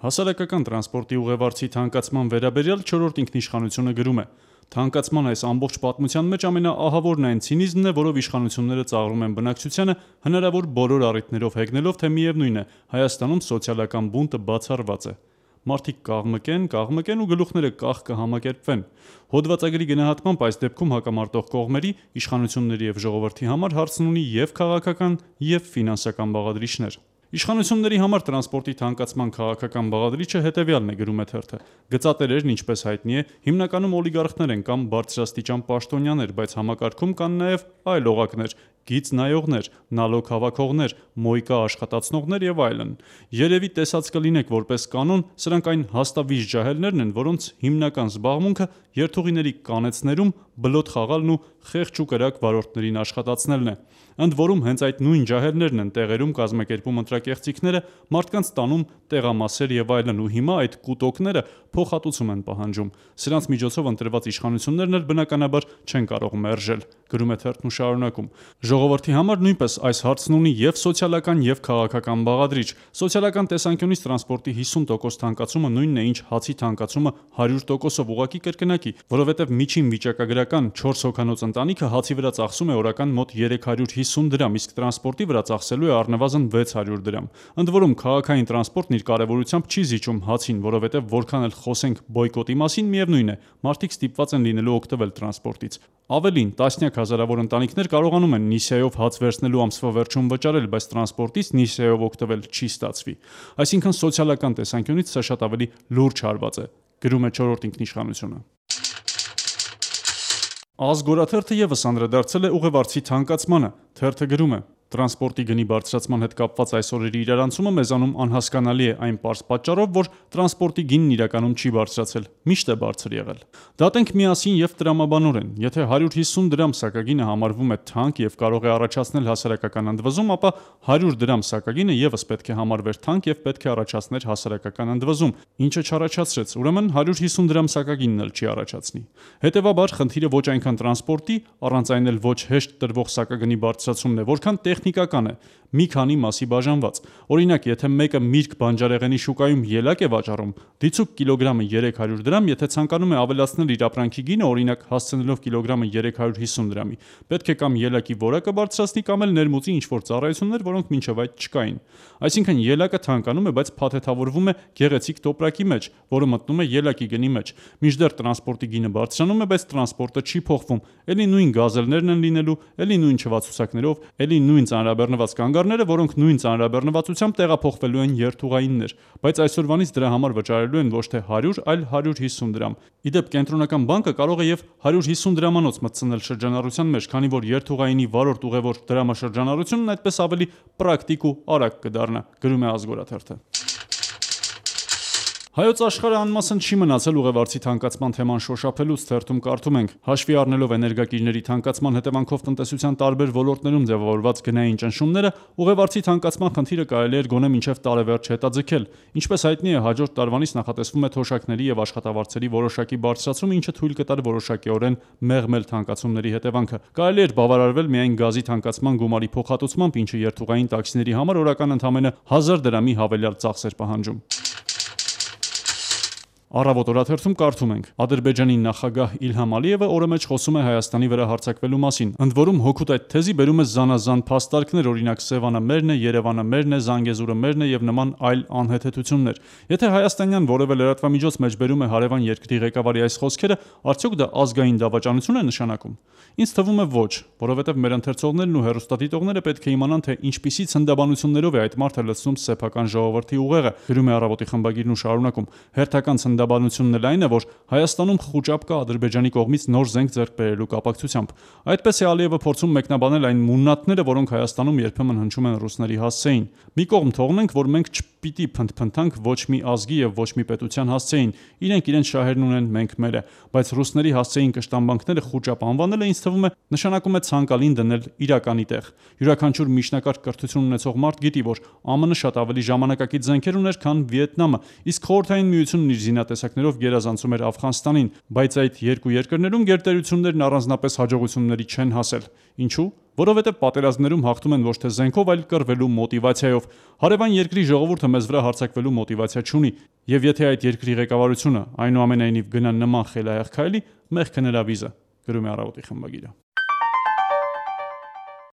Հասարակական տրանսպորտի ուղևորցի թանկացման վերաբերյալ 4-րդ ինքնիշխանությունը գրում է. Թանկացման այս ամբողջ պատմության մեջ ամենաահավորն այն ցինիզմն է, որով իշխանությունները ծաղրում են բնակչությանը, հնարավոր բոլոր առիթներով հեգնելով, թե միևնույն է, Հայաստանում սոցիալական բունտը բացառված է։ Մարդիկ կաղմկեն ու գլուխները կախ կհամակերպվեն։ Հոդվածագրի գնահատմամբ այս դեպքում հակամարտող կողմերի, իշխանությունների եւ ժողովրդի համար հարցն ունի եւ քաղաքական, եւ ֆինանսական բաղադրիչներ։ Իշխանությունների համար տրանսպորտի թանկացման քաղաքական բաղադրիչը հետևյալն է, գրում է թերթը. գծատերերն, ինչպես հայտնի է, հիմնականում օլիգարխներ են կամ բարձրաստիճան պաշտոնյաներ, բայց համակարգում կան նաև այլ օղակներ, գիծ նայողներ, նալոգ հավաքողներ, մոյկա աշխատացնողներ եւ այլն։ Երևի տեսած կլինեք, որպես կանոն, սրանք այն հաստավիճ ջահելներն են, որոնց հիմնական զբաղմունքը երթուղիների կանեցներում բլոթ խաղալն ու խեղճ ու կրակ վարորդներին աշխատացնելն է։ Ընդ որում հենց այդ նույն ջահելներն են տեղերում կազմակերպում ընտրակեղծիքները, մարդկանց տանում տեղամասեր եւ այլն, ու հիմա այդ կուտոկները փոխհատուցում են պահանջում։ Սրանց միջոցով ընտրված իշխանություններն էլ բնականաբար չեն կարող մերժել, գրում է թերթն ու շարունակում. Ժողովրդի համար նույնպես այս հարցն ունի եւ սոցիալական եւ քաղաքական բաղադրիչ։ Սոցիալական տեսանկյունից տրանսպորտի 50% թանկացումը նույնն է, ինչ հացի թանկացումը 100%-ով ուղղակի կրկնակի, որովհետեւ միջին վիճակագրական 4 հոգանոց ընտանիքը հացի վրա ծախսում է օրական մոտ 350 դրամ, իսկ տրանսպորտի վրա ծախսելու է առնվազն 600 դրամ։ Ընդ որում քաղաքային տրանսպորտն իր կարևորությամբ չի զիջում հացին, որովհետեւ որքան էլ խոսենք բոյկոտի մասին, միևնույն է, մարդիկ ստիպված են լինելու օգտվել տրանսպորտից։ Ավելին, տասնյակ հազարավոր ընտանիքներ կարողանում են նիսյայով հաց վերցնելու ամսվա վերջում վճարել, բայց տրանսպորտից նիսյայով օգտվել չի ստացվի։ Այսինքն սոցիալական տեսանկյունից սա շատ ավելի լուրջ հարված է, գրում է 4-րդ ինքնիշխանությունը։ Ազգորաթերթը եւս անդրադարձել է ուղևորցի թանկացմանը, թերթը գրում է. Տրանսպորտի գնի բարձրացման հետ կապված այս օրերի իրարանցումը մեզանում անհասկանալի է այն պարզ պատճառով, որ տրանսպորտի գինն իրականում չի բարձրացել, միշտ է բարձր եղել։ Դատենք միասին եւ տրամաբանորեն, եթե 150 դրամ սակագինը համարվում է թանկ եւ կարող է առաջացնել հասարակական ընդվզում, ապա 100 դրամ սակագինը եւս պետք է համարվեր թանկ եւ պետք է առաջացներ հասարակական ընդվզում, ինչը չառաջացրեց, ուրեմն 150 դրամ սակագինն էլ չի առաջացնի։ Հետևաբար խնդիրը ոչ այնքան տրանսպորտի, առանց այն էլ ոչ հեշտ տրվող սակագնի բարձրացումն է, որքան տեխնիկական է, մի քանի մասի բաժանված։ Օրինակ, եթե մեկը միրգ բանջարեղենի շուկայում ելակ է վաճառում, դիցուք կիլոգրամը 300 դրամ, եթե ցանկանում է ավելացնել իր ապրանքի գինը, օրինակ հասցնելով կիլոգրամը 350 դրամի, պետք է կամ ելակի որակը բարձրացնի, կամ էլ ներմուծի ինչ-որ ծառայություններ, որոնք մինչև այդ չկային։ Այսինքն ելակը թանկանում է, բայց փաթեթավորվում է գեղեցիկ տոպրակի մեջ, որը մտնում է ելակի գնի մեջ։ Մինչդեռ տրանսպորտի գինը բարձրանում է, բայց տրանսպորտը չի փոխվում։ Էլի նույն գազելներն են լինելու, էլի նույն չվացուցակներով, էլի նույն ծանրաբեռնված կանգառները, որոնք նույն ծանրաբեռնվածությամբ տեղափոխվելու են երթուղայիններ, բայց այսօրվանից դրա համար վճարելու են ոչ թե 100, այլ 150 դրամ։ Իդեպ կենտրոնական բանկը կարող է եւ 150 դրամանոց մտցնել շրջանառության մեջ, քանի որ երթուղայինի վարորդ ուղևոր դրամաշրջանառությունն այդպես ավելի պրակտիկ ու արագ կդառնա, գրում է Ազգորաթերթը։ Հայոց աշխարհը անմասն չի մնացել ուղևորցի թանկացման թեման շոշափելուց, թերթում կարդում ենք. հաշվի առնելով էներգակիրների թանկացման հետևանքով տնտեսության տարբեր ոլորտներում ձևավորված գնային ճնշումները, ուղևորցի թանկացման խնդիրը կարելի էր գոնե մինչև տարեվերջ հետաձգել։ Ինչպես հայտնի է, հաջորդ տարվանից նախատեսվում է թոշակների եւ աշխատավարձերի որոշակի բարձրացում, ինչը թույլ կտար որոշակիորեն մեղմել թանկացումների հետևանքը։ Կարելի էր բավարարվել միայն գազի թանկացման գումարի փոխհատուցմամբ, ինչը երթուղային տաքսիների համար օրական ընդամենը 1000 դրամի հավելյալ ծախս էր պահանջում։ Առավոտ օրաթերթում կարդում ենք. Ադրբեջանի նախագահ Իլհամ Ալիևը օրը մեջ խոսում է Հայաստանի վրա հարձակվելու մասին։ Ընդ որում հօգուտ այդ թեզի բերում է զանազան փաստարկներ, օրինակ Սևանը մերն է, Երևանը մերն է, Զանգեզուրը մերն է եւ նման այլ անհեթեթություններ։ Եթե հայաստանյան որևէ լրատվամիջոց մեջբերում է հարևան երկրի ղեկավարի այս խոսքերը, արդյոք դա ազգային դավաճանություն է նշանակում։ Ինձ թվում է ոչ, որովհետև մեր ընթերցողներն ու հեռուստադիտողները պետք է իմանան, թե ինչպիսի ցնդաբանություններով է այդ մարդը լցնում սեփական ժողովրդի ուղեղը, գրում է Առավոտի խմբագիրն ու շարունակում։ Հերթական ցնդաբանությունն էլ այն է, որ Հայաստանում խուճապ կա Ադրբեջանի կողմից նոր զենք ձեռք բերելու կապակցությամբ։ Այդպես է Ալիևը փորձում մեկնաբանել այն մուննաթները, որոնք Հայաստանում երբեմն հնչում են ռուսների հասցեին։ Մի կողմ թողնենք, որ մենք չպիտի փնթփնթանք ոչ մի ազգի եւ ոչ մի պետության հասցեին։ Իրենք իրենց շահերն ունեն, մենք մերը, բայց ռուսների հասցեին կշտամբանքները խուճապ անվանելը ինձ թվում է նշանակում է ցանկալին դնել իրականի տեղ։ Յուրաքանչյուր միջնակարգ կրթություն ունեցող մարդ գիտի, որ ԱՄՆ շատ ավելի ժամանակակից զենքեր ուներ, քան Վիետնամը, իսկ Խորհրդային Միությունն իր զինատեսակներով գերազանցում էր Աֆղանստանին, բայց այդ երկու երկրներում գերտերություններն առանձնապես հաջողությունների չեն հասել։ Ինչու՞։ Որովհետև պատերազմներում հաղթում են ոչ թե զենքով, այլ կռվելու մոտիվացիայով։ Հարևան երկրի ժողովուրդը մեզ վրա հարձակվելու մոտիվացիա չունի։ Եվ եթե այդ երկրի ղեկավարությունը այնուամենայնիվ գնա նման խելահեղ քայլի, մեղքը նրա վիզը, գրում է Առավոտի խմբագիրը։